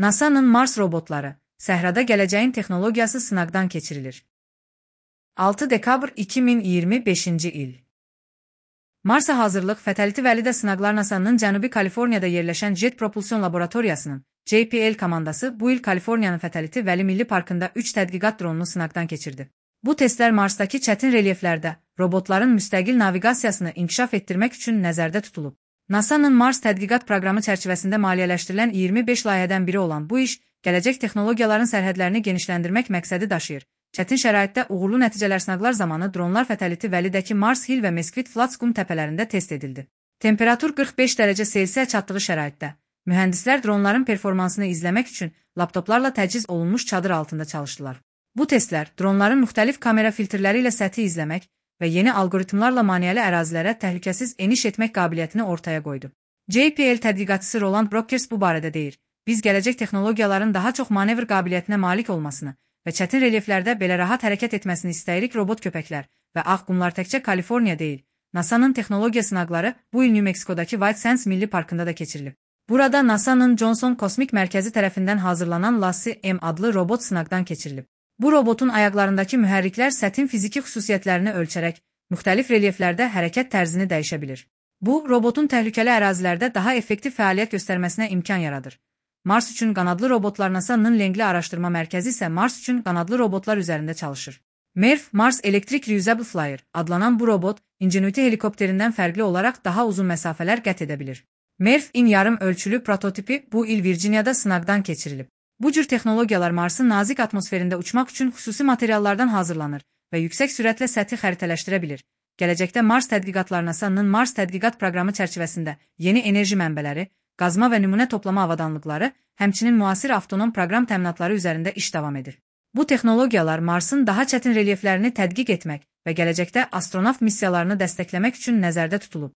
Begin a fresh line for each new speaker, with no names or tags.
NASA'nın Mars robotları, səhrada gələcəyin texnologiyası sınaqdan keçirilir. 6 dekabr 2025-ci il. Marsa hazırlıq Fatality Valley'də sınaqlar NASA'nın Cənubi Kaliforniyada yerləşən Jet Propulsion Laboratoriyasının JPL komandası bu il Kaliforniyanın Fatality Valley Milli Parkında 3 tədqiqat dronunu sınaqdan keçirdi. Bu testlər Marsdakı çətin relyeflərdə robotların müstəqil naviqasiyasını inkişaf etdirmək üçün nəzərdə tutulub. NASA'nın Mars tədqiqat proqramı çərçivəsində maliyyələşdirilən 25 layihədən biri olan bu iş, gələcək texnologiyaların sərhədlərini genişləndirmək məqsədi daşıyır. Çətin şəraitdə uğurlu nəticələr sınaqlar zamanı dronlar Fatality Valley-dəki Mars Hill və Mesquite Flats qum təpələrində test edildi. Temperatur 45 dərəcə Selsiyə çatdığı şəraitdə, mühəndislər dronların performansını izləmək üçün laptoplarla təchiz olunmuş çadır altında çalışdılar. Bu testlər dronların müxtəlif kamera filtrləri ilə səthi izləmək və yeni alqoritmlarla maneəli ərazilərə təhlükəsiz eniş etmək qabiliyyətini ortaya qoydu. JPL tədqiqatçısı Roland Brockers bu barədə deyir: "Biz gələcək texnologiyaların daha çox manevr qabiliyyətinə malik olmasını və çətin relyeflərdə belə rahat hərəkət etməsini istəyirik." Robot köpəklər və ağ qumlar təkcə Kaliforniya deyil, NASA'nın texnologiya sınaqları bu il New Mexico'dakı White Sands Milli Parkında da keçirilib. Burada NASA'nın Johnson Kosmik Mərkəzi tərəfindən hazırlanan Lassie M adlı robot sınaqdan keçirilib. Bu robotun ayaqlarındakı mühərriklər sətin fiziki xüsusiyyətlərini ölçərək müxtəlif relyeflərdə hərəkət tərzini dəyişə bilir. Bu, robotun təhlükəli ərazilərdə daha effektiv fəaliyyət göstərməsinə imkan yaradır. Mars üçün qanadlı robotlar NASA'nın Langley Araşdırma Mərkəzi isə Mars üçün qanadlı robotlar üzərində çalışır. MERF Mars Electric Reusable Flyer adlanan bu robot, Ingenuity helikopterindən fərqli olaraq daha uzun məsafələr qət edə bilir. MERF-in yarım ölçülü prototipi bu il Virginiyada sınaqdan keçirilib. Bu cür texnologiyalar Marsın nazik atmosferində uçmaq üçün xüsusi materiallardan hazırlanır və yüksək sürətlə səthi xəritələşdirə bilir. Gələcəkdə Mars tədqiqatları NASA'nın Mars tədqiqat proqramı çərçivəsində yeni enerji mənbələri, qazma və nümunə toplama avadanlıqları, həmçinin müasir avtonom proqram təminatları üzərində iş davam edir. Bu texnologiyalar Marsın daha çətin relyeflərini tədqiq etmək və gələcəkdə astronavt missiyalarını dəstəkləmək üçün nəzərdə tutulub.